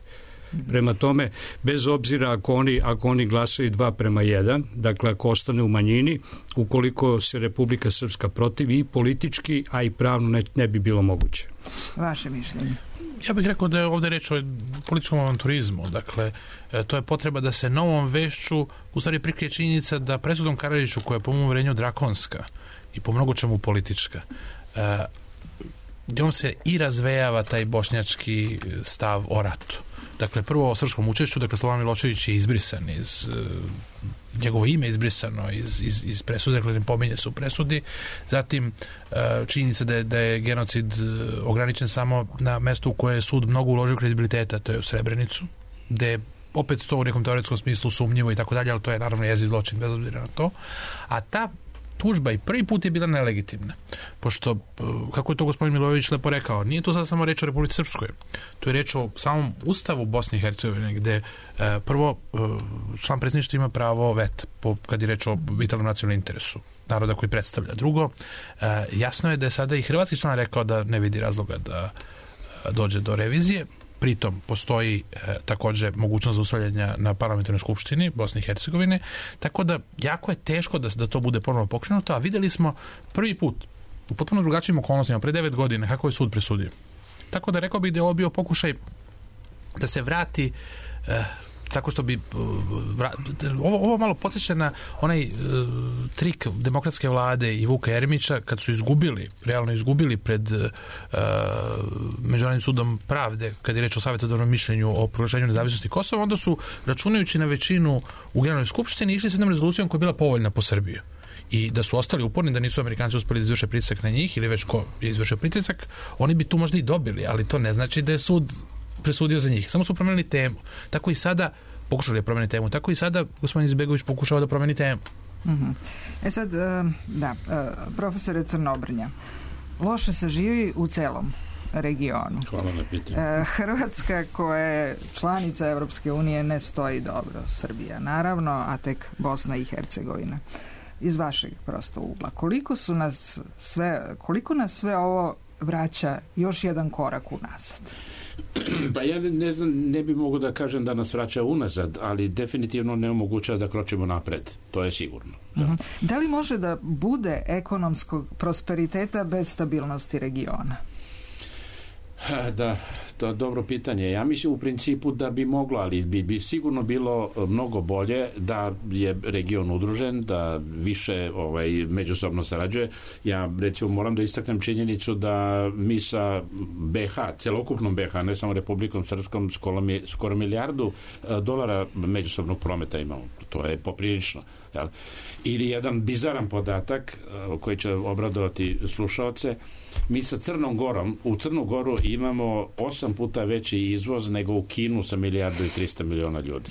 Prema tome, bez obzira ako oni glasaju 2:1, dakle ako ostane u manjini, ukoliko se Republika Srpska protivi i politički, a i pravno ne bi bilo moguće. Vaše mišljenje? Ja bih rekao da je ovdje reč o političkom avanturizmu. Dakle, to je potreba da se novom vešću u stvari prikrije činjenica da presudom Karadžiću, koja je po mom uvjerenju drakonska i po mnogo čemu politička, njom se i razvejava taj bošnjački stav o ratu. Dakle, prvo o srpskom učešću, dakle, Slobodan Milošević je izbrisan njegovo ime izbrisano iz presude, dakle, ne pominje se u presudi. Zatim, činjenica da je genocid ograničen samo na mesto u koje je sud mnogo uložio kredibiliteta, to je u Srebrenicu, gde je opet to u nekom teoretskom smislu sumnjivo i tako dalje, ali to je naravno jezik zločin bez obzira na to. A tužba i prvi put je bila nelegitimna. Pošto, kako je to gospodin Milojević lepo rekao, nije to sad samo reč o Republici Srpskoj. To je reč o samom ustavu Bosne i Hercegovine, gde prvo član predsjedništva ima pravo veta kad je reč o vitalnom nacionalnom interesu naroda koji predstavlja. Drugo, jasno je da je sada i hrvatski član rekao da ne vidi razloga da dođe do revizije. Pritom postoji također mogućnost zaustavljanja na parlamentarnoj skupštini Bosne i Hercegovine, tako da jako je teško da to bude ponovno pokrenuto, a vidjeli smo prvi put u potpuno drugačijim okolnostima pre 9 godina kako je sud presudio. Tako da rekao bih da je ovo bio pokušaj da se vrati tako što bi ovo malo podsjeća na onaj trik demokratske vlade i Vuka Jeremića kad su realno izgubili pred Međunarodnim sudom pravde kad je reč o savjetodavnom mišljenju o proglašenju nezavisnosti Kosova, onda su, računajući na većinu u Generalnoj skupštini, išli s jednom rezolucijom koja je bila povoljna po Srbiju. I da su ostali uporni, da nisu Amerikanci uspeli da izvrše pritisak na njih ili već ko je izvršio pritisak, oni bi tu možda i dobili, ali to ne znači da je sud presudio za njih. Samo su promenili temu. Tako i sada pokušali da promeni temu. Tako i sada gospodin Izbegović pokušava da promeni temu. Sad, profesore Crnobrnja, loše se živi u celom regionu. Hvala na pitanju. Hrvatska koja je članica Evropske unije ne stoji dobro. Srbija naravno, a tek Bosna i Hercegovina. Iz vašeg prosto ugla. Koliko nas sve ovo vraća još jedan korak unazad? Pa ja ne znam, ne bi mogu da kažem da nas vraća unazad, ali definitivno ne omogućava da kročimo napred. To je sigurno. Da li može da bude ekonomskog prosperiteta bez stabilnosti regiona? Da, to je dobro pitanje. Ja mislim u principu da bi moglo, ali bi sigurno bilo mnogo bolje da je region udružen, da više međusobno sarađuje. Ja recimo moram da istaknem činjenicu da mi sa BH, celokupnom BH, ne samo Republikom Srpskom, skoro milijardu dolara međusobnog prometa imamo. To je poprilično. Jel? Ili jedan bizaran podatak koji će obradovati slušaoce, mi sa Crnom Gorom, u Crnu Goru imamo 8 puta veći izvoz nego u Kinu sa 1.300 miliona ljudi.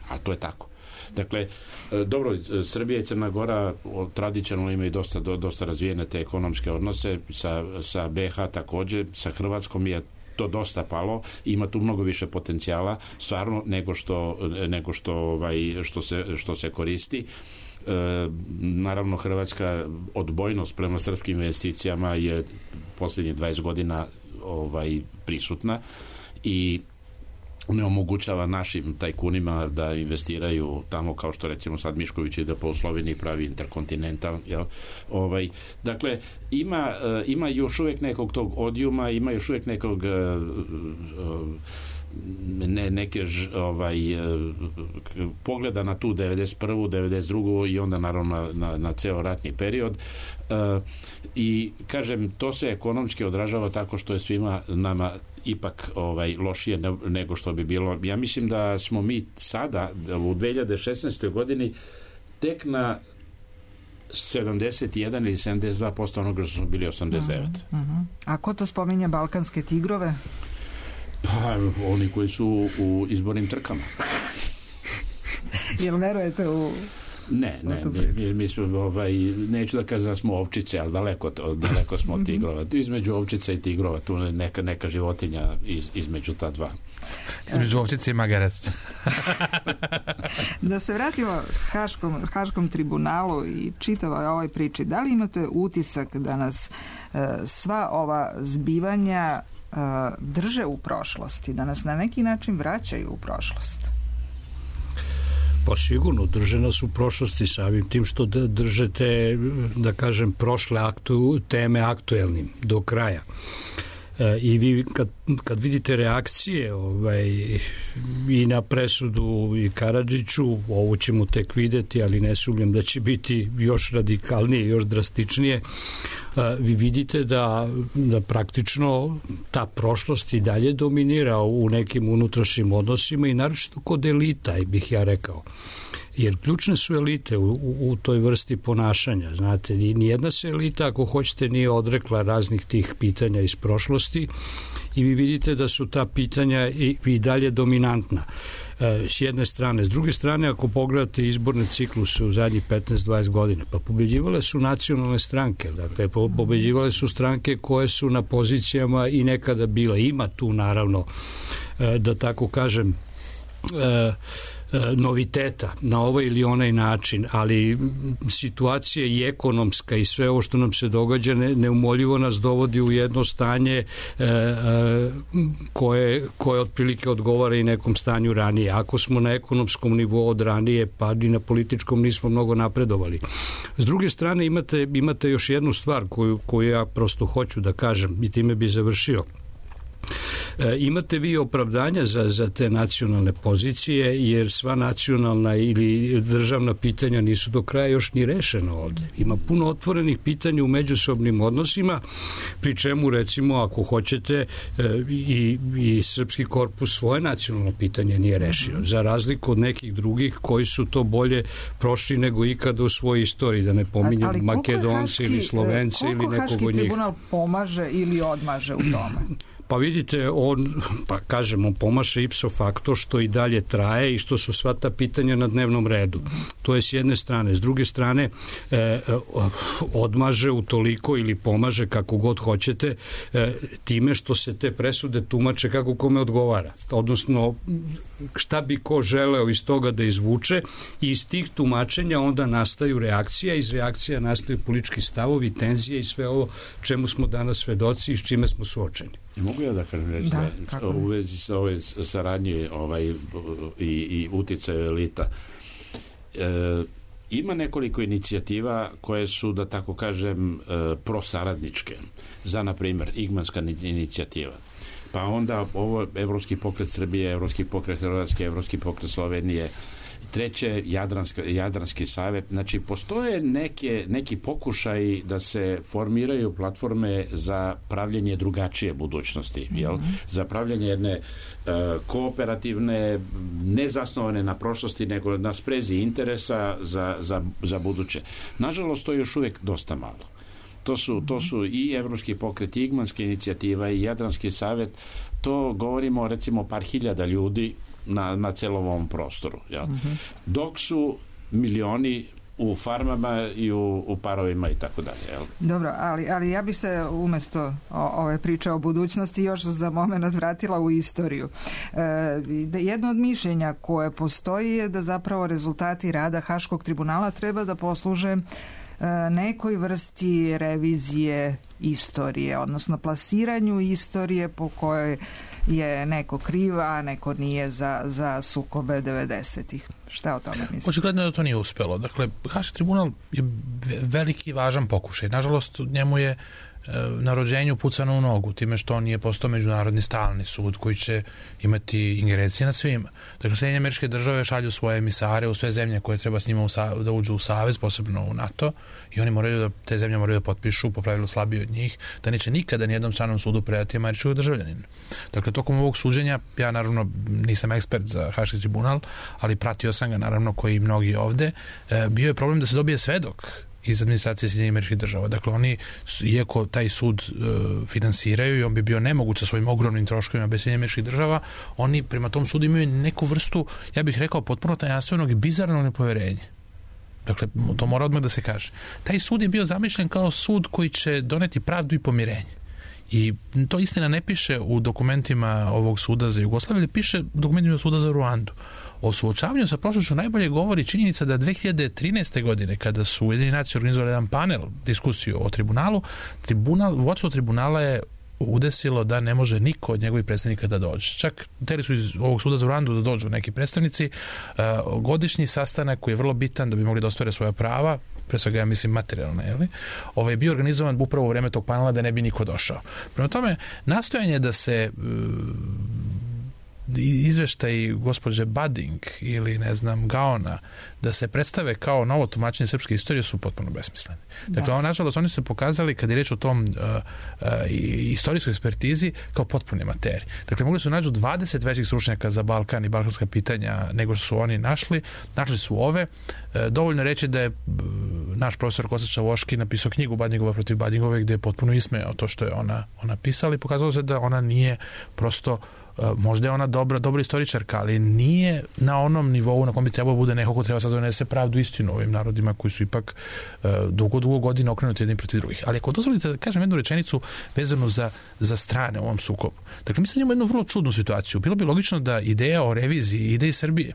A to je tako. Dakle, dobro, Srbija i Crna Gora tradicionalno imaju dosta razvijene te ekonomske odnose, sa BH također, sa Hrvatskom je to dosta palo, ima tu mnogo više potencijala stvarno nego što se koristi. Naravno Hrvatska odbojnost prema srpskim investicijama je posljednjih 20 godina prisutna i ne omogućava našim tajkunima da investiraju tamo, kao što recimo sad Mišković ide po Sloveniji pravi Intercontinental, jel? Dakle, ima još uvijek nekog tog odijuma, ima još uvijek nekog pogleda na tu 91. 92. i onda naravno na ceo ratni period i kažem, to se ekonomski odražava tako što je svima nama ipak lošije nego što bi bilo. Ja mislim da smo mi sada u 2016. godini tek na 71 ili 72% onoga što smo bili 89. A ko to spominje balkanske tigrove? Pa, oni koji su u izbornim trkama. Jel verujete u... Ne, mi smo, neću da kažem da smo ovčice, ali daleko smo od tigrova. Između ovčica i tigrova, tu neka životinja između ta dva. Između ovčice i magarac. Da se vratimo Haškom tribunalu i čitavoj ovoj priči, da li imate utisak da nas sva ova zbivanja drže u prošlosti, da nas na neki način vraćaju u prošlost? Pa sigurno, drže nas u prošlosti samim tim što držete, da kažem, prošle teme aktuelnim do kraja. I vi kad vidite reakcije i na presudu i Karadžiću, ovo ćemo tek vidjeti, ali ne sumnjam da će biti još radikalnije, još drastičnije, vi vidite da praktično ta prošlost i dalje dominira u nekim unutrašnjim odnosima i naročito kod elita, bih ja rekao. Jer ključne su elite u toj vrsti ponašanja. Znate, nijedna se elita, ako hoćete, nije odrekla raznih tih pitanja iz prošlosti i vi vidite da su ta pitanja i dalje dominantna s jedne strane. S druge strane, ako pogledate izborne cikluse u zadnjih 15-20 godina, pa pobeđivale su nacionalne stranke, dakle, pobeđivale su stranke koje su na pozicijama i nekada bile. Ima tu, naravno, da tako kažem, noviteta na ovaj ili onaj način, ali situacija i ekonomska i sve ovo što nam se događa neumoljivo nas dovodi u jedno stanje koje otprilike odgovara i nekom stanju ranije. Ako smo na ekonomskom nivou od ranije, pa i na političkom nismo mnogo napredovali. S druge strane, imate još jednu stvar koju ja prosto hoću da kažem i time bi završio. Imate vi opravdanja za te nacionalne pozicije, jer sva nacionalna ili državna pitanja nisu do kraja još ni rešena ovde. Ima puno otvorenih pitanja u međusobnim odnosima, pri čemu, recimo, ako hoćete, i srpski korpus svoje nacionalno pitanje nije rešio, za razliku od nekih drugih koji su to bolje prošli nego ikada u svojoj istoriji, da ne pominjem Makedonce ili Slovence ili nekog od njih. Koliko Haški tribunal pomaže ili odmaže u tome? Pa vidite, on pomaše ipso facto, što i dalje traje i što su sva ta pitanja na dnevnom redu. To je s jedne strane. S druge strane, odmaže utoliko ili pomaže, kako god hoćete, time što se te presude tumače kako kome odgovara. Odnosno, šta bi ko želeo iz toga da izvuče, i iz tih tumačenja onda nastaju reakcija, iz reakcija nastaju politički stavovi, tenzije i sve ovo čemu smo danas svedoci i s čime smo suočeni. Mogu ja da kažem reći da u vezi sa ove saradnje i uticaju elita, ima nekoliko inicijativa koje su, da tako kažem, prosaradničke. Za, na primjer, Igmanska inicijativa. Pa onda ovo Evropski pokret Srbije, Evropski pokret Hrvatske, Evropski pokret Slovenije, treće Jadranski savjet. Znači, postoje neki pokušaj da se formiraju platforme za pravljenje drugačije budućnosti, jel? Za pravljenje jedne kooperativne, nezasnovane na prošlosti, nego na sprezi interesa za buduće. Nažalost, to je još uvijek dosta malo. To su i Evropski pokret, i Igmanska inicijativa, i Jadranski savjet. To govorimo, recimo, par hiljada ljudi na celom ovom prostoru. Jel? Dok su milioni u farmama i u parovima i tako dalje. Dobro, ali ja bi se umjesto ove priče o budućnosti još za moment vratila u istoriju. Jedno od mišljenja koje postoji je da zapravo rezultati rada Haškog tribunala treba da posluže nekoj vrsti revizije istorije, odnosno plasiranju istorije po kojoj je neko kriv, a neko nije za sukobe 90-ih. Šta o tome mislite? Očigledno da to nije uspelo. Dakle, Haški tribunal je veliki i važan pokušaj. Nažalost, njemu je na rođenju pucano u nogu, time što on nije postao međunarodni stalni sud koji će imati ingerencije nad svima. Dakle, Sjedinjene Američke Države šalju svoje emisare u sve zemlje koje treba s njima da uđu u savez, posebno u NATO, i oni te zemlje moraju da potpišu, po pravilu slabiji od njih, da neće nikada nijednom stranom sudu predati američkog državljanina. Dakle, tokom ovog suđenja, ja naravno nisam ekspert za Haški tribunal, ali pratio sam ga, naravno, koji i mnogi ovde, bio je problem da se dobije svedok iz administracije Sjedinjenih Američkih Država. Dakle, oni, iako taj sud finansiraju i on bi bio nemoguć sa svojim ogromnim troškovima bez Sjedinjenih Američkih Država, oni prema tom sudu imaju neku vrstu, ja bih rekao, potpuno tajanstvenog i bizarnog nepoverenja. Dakle, to mora odmah da se kaže. Taj sud je bio zamišljen kao sud koji će doneti pravdu i pomirenje. I to istina ne piše u dokumentima ovog suda za Jugoslaviju, ali piše u dokumentima suda za Ruandu. O suočavanju sa prošlošću najbolje govori činjenica da 2013. godine, kada su Ujedinjeni nacije organizovali jedan panel, diskusiju o tribunalu, vodstvo tribunala je udesilo da ne može niko od njegovih predstavnika da dođe. Čak hteli su iz ovog suda za Ruandu da dođu neki predstavnici. Godišnji sastanak koji je vrlo bitan da bi mogli da ostvare svoja prava, pre svega ja mislim materijalne, je bio organizovan upravo u vreme tog panela da ne bi niko došao. Prema tome, nastojanje da se izveštaj gospođe Bading ili ne znam Gaona da se predstave kao novo tumačenje srpske istorije su potpuno besmisleni. Dakle, nažalost, oni su se pokazali kad je reč o tom istorijskoj ekspertizi kao potpune materije. Dakle, mogli su nađu 20 većih stručnjaka za Balkan i balkanska pitanja nego što su oni našli su ove. Dovoljno reći da je naš profesor Kosta Čavoški napisao knjigu Badingova protiv Badingove gdje je potpuno ismejao to što je ona pisala i pokazalo se da ona nije prosto, možda je ona dobra istoričarka, ali nije na onom nivou na kom bi trebalo bude neko ko treba sad donese pravdu istinu ovim narodima koji su ipak dugo godina okrenuti jednim protiv drugih. Ali ako dozvolite da kažem jednu rečenicu vezanu za strane u ovom sukobu. Dakle, mi sad imamo jednu vrlo čudnu situaciju. Bilo bi logično da ideja o reviziji ide iz Srbije.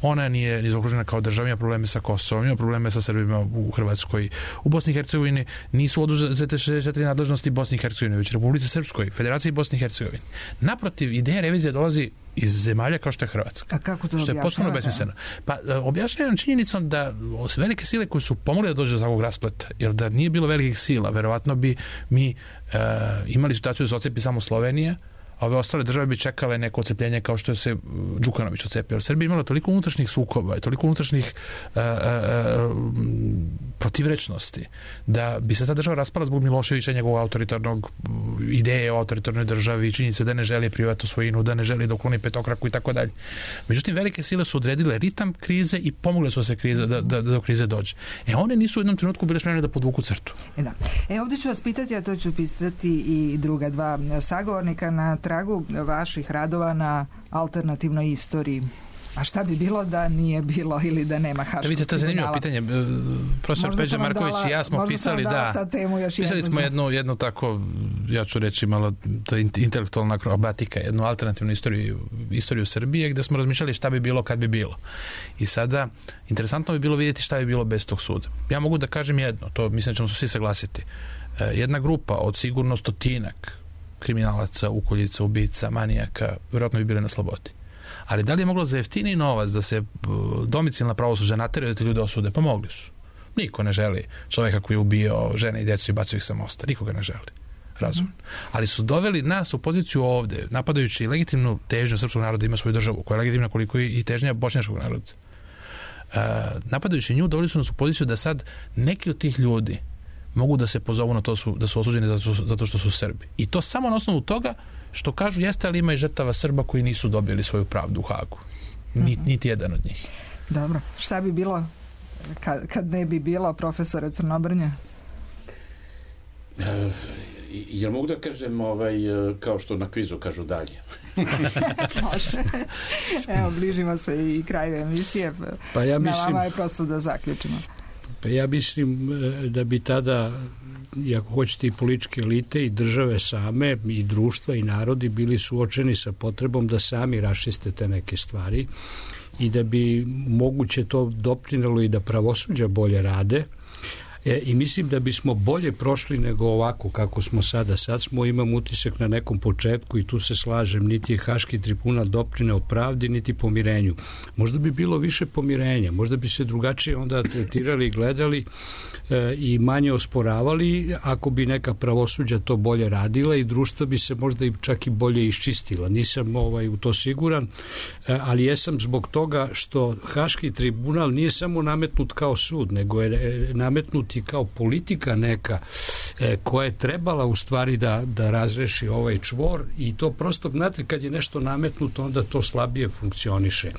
Ona nije zaokružena kao država, ima probleme sa Kosovom, ima probleme sa Srbima u Hrvatskoj. U Bosni i Hercegovini nisu oduzete 64 nadležnosti Bosni i Hercegovini, već Republici Srpskoj, Federaciji Bosni i Hercegovini. Naprotiv, ideja revizije dolazi iz zemalja kao što je Hrvatska. A kako to što je potpuno besmisleno. Pa objašnjavam činjenicom da velike sile koje su pomogle da dođe do takvog raspleta, jer da nije bilo velikih sila, verovatno bi mi imali situaciju da se ocepi samo Slovenija, a ove ostale države bi čekale neko ocepljenje kao što se Đukanović ocepio. Jer Srbija imala toliko unutrašnjih sukoba i toliko unutrašnjih protivrečnosti da bi se ta država raspala zbog Miloševića, njegovog autoritarnog ideje o autoritarnoj državi, činjenice da ne želi privatnu svojinu, da ne želi da ukloni petokraku i tako dalje. Međutim, velike sile su odredile ritam krize i pomogle su se da do krize dođe. One nisu u jednom trenutku bile spremne da podvuku crtu. Ovdje ću vas pitati, a to ću pitati i druga dva sagovornika na tragu vaših radova na alternativnoj istoriji. A šta bi bilo da nije bilo ili da nema Haškog tribunala? Vidite, to je zanimljivo pitanje. Profesor Peđa Marković i ja smo pisali pisali smo jednu tako, ja ću reći malo, to je intelektualna akrobatika, jednu alternativnu istoriju Srbije gdje smo razmišljali šta bi bilo kad bi bilo. I sada, interesantno bi bilo vidjeti šta bi bilo bez tog suda. Ja mogu da kažem jedno, to mislim da ćemo se svi saglasiti. Jedna grupa od sigurno 100 kriminalaca, ukoljica, ubica, manijaka, vjerojatno bi bile na slobodi. Ali da li je moglo za jeftiniji novac da se domicilna pravosuđa nateraju da te ljude osude? Pa mogli su. Niko ne želi čovjeka koji je ubio žene i djecu i bacio ih sa mosta. Nikoga ne želi. Razumno. Ali su doveli nas u poziciju ovdje, napadajući legitimnu težnju srpskog naroda ima svoju državu, koja je legitimna koliko i težnja bošnjačkog naroda. Napadajući nju, doveli su nas u poziciju da sad neki od tih ljudi mogu da se pozovu na to da su osuđeni zato što su Srbi. I to samo na osnovu toga što kažu jeste, ali ima i žrtava Srba koji nisu dobili svoju pravdu u Hagu. Niti jedan od njih. Dobro. Šta bi bilo kad ne bi bilo profesora Crnobrnja? Jel mogu da kažem kao što na kvizu kažu dalje? Može. Evo, bližimo se i kraju emisije. Pa ja mislim, na vama je prosto da zaključimo. Pa ja mislim da bi tada, ako hoćete, i političke elite i države same i društva i narodi bili suočeni sa potrebom da sami raščiste te neke stvari i da bi moguće to doprinelo i da pravosuđa bolje rade. I mislim da bismo bolje prošli nego ovako kako smo sada. Sad smo, imam utisak na nekom početku i tu se slažem, niti je Haški tribunal doprineo pravdi, niti pomirenju. Možda bi bilo više pomirenja, možda bi se drugačije onda tretirali i gledali i manje osporavali ako bi neka pravosuđa to bolje radila i društva bi se možda i čak i bolje iščistila. Nisam u to siguran, ali jesam zbog toga što Haški tribunal nije samo nametnut kao sud, nego je nametnut i kao politika neka koja je trebala u stvari da razreši ovaj čvor i to prosto, znate, kad je nešto nametnuto onda to slabije funkcioniše.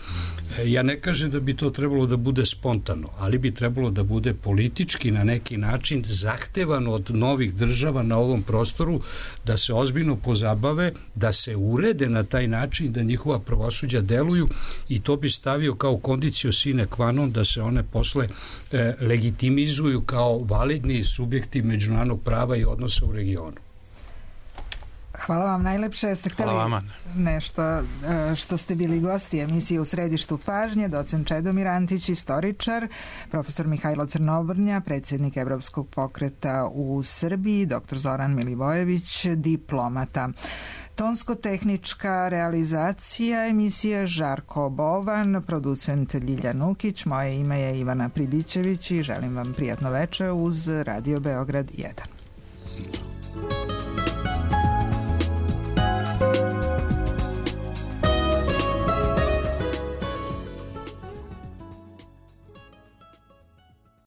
Ja ne kažem da bi to trebalo da bude spontano, ali bi trebalo da bude politički na neki način zahtevano od novih država na ovom prostoru da se ozbiljno pozabave, da se urede na taj način da njihova pravosuđa deluju i to bi stavio kao conditio sine qua non da se one posle legitimizuju kao validni subjekti međunarodnog prava i odnosa u regionu. Hvala vam najlepše. Jeste htjeli nešto što ste bili gosti emisije U središtu pažnje, docent Čedomir Antić, istoričar, profesor Mihajlo Crnobrnja, predsjednik Evropskog pokreta u Srbiji, dr. Zoran Milivojević, diplomata. Tonsko-tehnička realizacija emisije Žarko Bovan, producent Ljilja Nukić, moje ime je Ivana Pribićević i želim vam prijatno večer uz Radio Beograd 1.